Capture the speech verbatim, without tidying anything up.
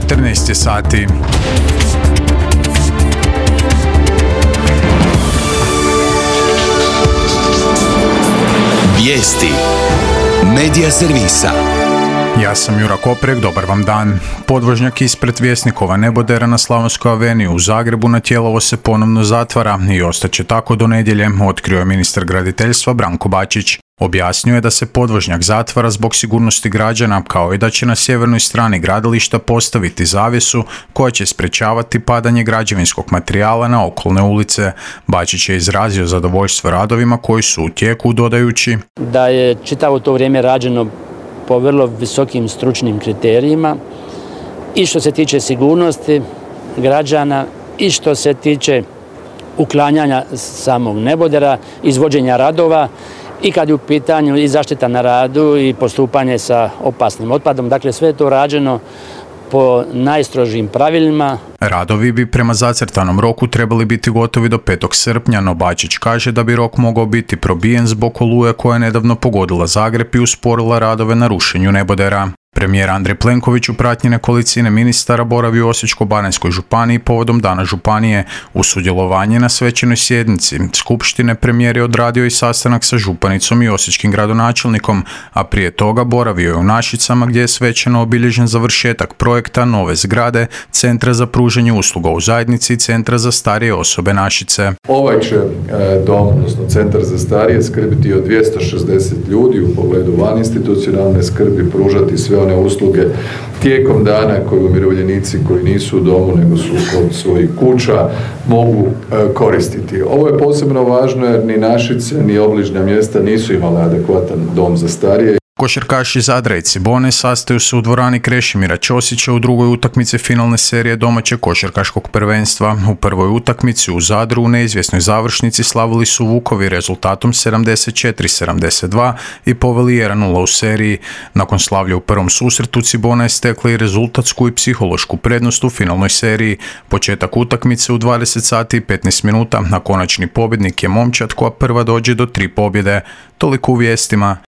četrnaest je sati. Vijesti Medija servisa. Ja sam Jura Koprek, dobar vam dan. Podvožnjak ispred Vjesnikova nebodera na Slavonskoj aveniji u Zagrebu na Tjelovo se ponovno zatvara i ostaće tako do nedjelje, otkrio je ministar graditeljstva Branko Bačić. Objasnio je da se podvožnjak zatvara zbog sigurnosti građana, kao i da će na sjevernoj strani gradilišta postaviti zavjesu koja će sprečavati padanje građevinskog materijala na okolne ulice. Bačić je izrazio zadovoljstvo radovima koji su u tijeku, dodajući da je čitavo to vrijeme rađeno po vrlo visokim stručnim kriterijima i što se tiče sigurnosti građana i što se tiče uklanjanja samog nebodera, izvođenja radova i kad je u pitanju i zaštita na radu i postupanje sa opasnim otpadom. Dakle, sve je to rađeno po najstrožijim pravilima. Radovi bi prema zacrtanom roku trebali biti gotovi do petog srpnja, no Bačić kaže da bi rok mogao biti probijen zbog oluje koja je nedavno pogodila Zagreb i usporila radove na rušenju nebodera. Premijer Andrej Plenković u pratnji nekolicine ministara boravi u Osječko-baranjskoj županiji povodom Dana županije. U sudjelovanje na svečanoj sjednici skupštine premijer je odradio i sastanak sa županicom i osječkim gradonačelnikom, a prije toga boravio je u Našicama gdje je svečano obilježen završetak projekta nove zgrade Centra za pružanje usluga u zajednici i Centra za starije osobe Našice. Ovaj će dom, odnosno Centar za starije, skrbiti o dvjesto šezdeset ljudi u pogledu vaninstitucionalne skrbi, pružati sve one usluge tijekom dana koje umirovljenici koji nisu u domu nego su kod svojih kuća mogu e, koristiti. Ovo je posebno važno jer ni Našice ni obližnja mjesta nisu imale adekvatan dom za starije. Košarkaši Zadra i Cibone sastaju se u dvorani Krešimira Ćosića u drugoj utakmici finalne serije domaćeg košarkaškog prvenstva. U prvoj utakmici u Zadru u neizvjesnoj završnici slavili su Vukovi rezultatom sedamdeset četiri sedamdeset dva i poveli jedan nula u seriji. Nakon slavlja u prvom susretu Cibona je stekla i rezultatsku i psihološku prednost u finalnoj seriji. Početak utakmice u dvadeset sati i petnaest minuta, a konačni pobjednik je momčad koja prva dođe do tri pobjede. Toliko u vijestima.